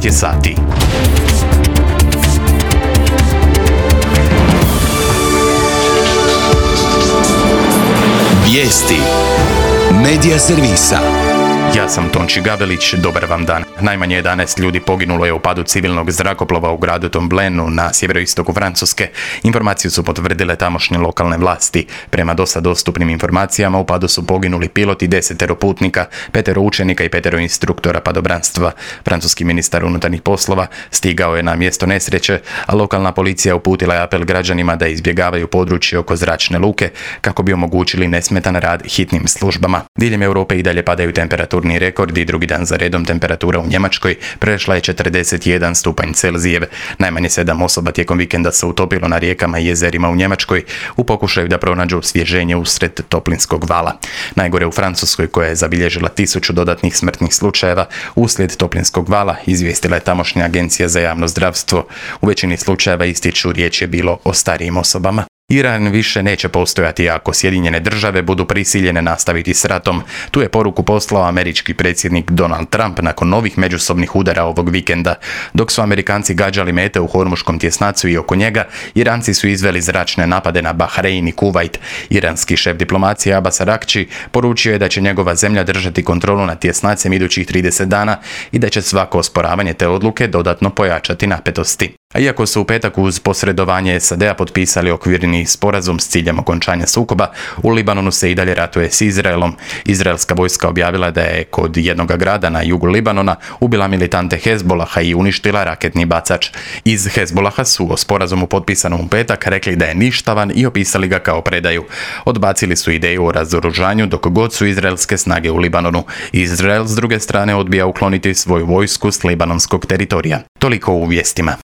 12 je sati. Vijesti Medija servisa. Ja sam Tonči Gavelić, dobar vam dan. Najmanje 11 ljudi poginulo je u padu civilnog zrakoplova u gradu Tomblenu na sjeveroistoku Francuske. Informaciju su potvrdile tamošnje lokalne vlasti. Prema dosta dostupnim informacijama u padu su poginuli pilot i 10 putnika, 5 učenika i 5 instruktora padobranstva. Francuski ministar unutarnjih poslova stigao je na mjesto nesreće, a lokalna policija uputila je apel građanima da izbjegavaju područje oko zračne luke kako bi omogućili nesmetan rad hitnim službama. Diljem Europe i dalje padaju temperaturni rekordi. Drugi dan za redom temperatura u Njemačkoj prešla je 41 stupanj Celzijev. Najmanje 7 osoba tijekom vikenda se utopilo na rijekama i jezerima u Njemačkoj u pokušaju da pronađu osvježenje usred toplinskog vala. Najgore u Francuskoj, koja je zabilježila 1000 dodatnih smrtnih slučajeva uslijed toplinskog vala, izvijestila je tamošnja agencija za javno zdravstvo. U većini slučajeva ističu riječ je bilo o starijim osobama. Iran više neće postojati ako Sjedinjene države budu prisiljene nastaviti s ratom. Tu je poruku poslao američki predsjednik Donald Trump nakon novih međusobnih udara ovog vikenda. Dok su Amerikanci gađali mete u Hormuškom tjesnacu i oko njega, Iranci su izveli zračne napade na Bahrein i Kuvajt. Iranski šef diplomacije Abbas Araghči poručio je da će njegova zemlja držati kontrolu nad tjesnacem idućih 30 dana i da će svako osporavanje te odluke dodatno pojačati napetosti. A iako su u petak uz posredovanje SAD-a potpisali okvirni sporazum s ciljem okončanja sukoba, u Libanonu se i dalje ratuje s Izraelom. Izraelska vojska objavila da je kod jednog grada na jugu Libanona ubila militante Hezbolaha i uništila raketni bacač. Iz Hezbolaha su o sporazumu potpisanom u petak rekli da je ništavan i opisali ga kao predaju. Odbacili su ideju o razoružanju dok god su izraelske snage u Libanonu. Izrael s druge strane odbija ukloniti svoju vojsku s libanonskog teritorija. Toliko u vijestima.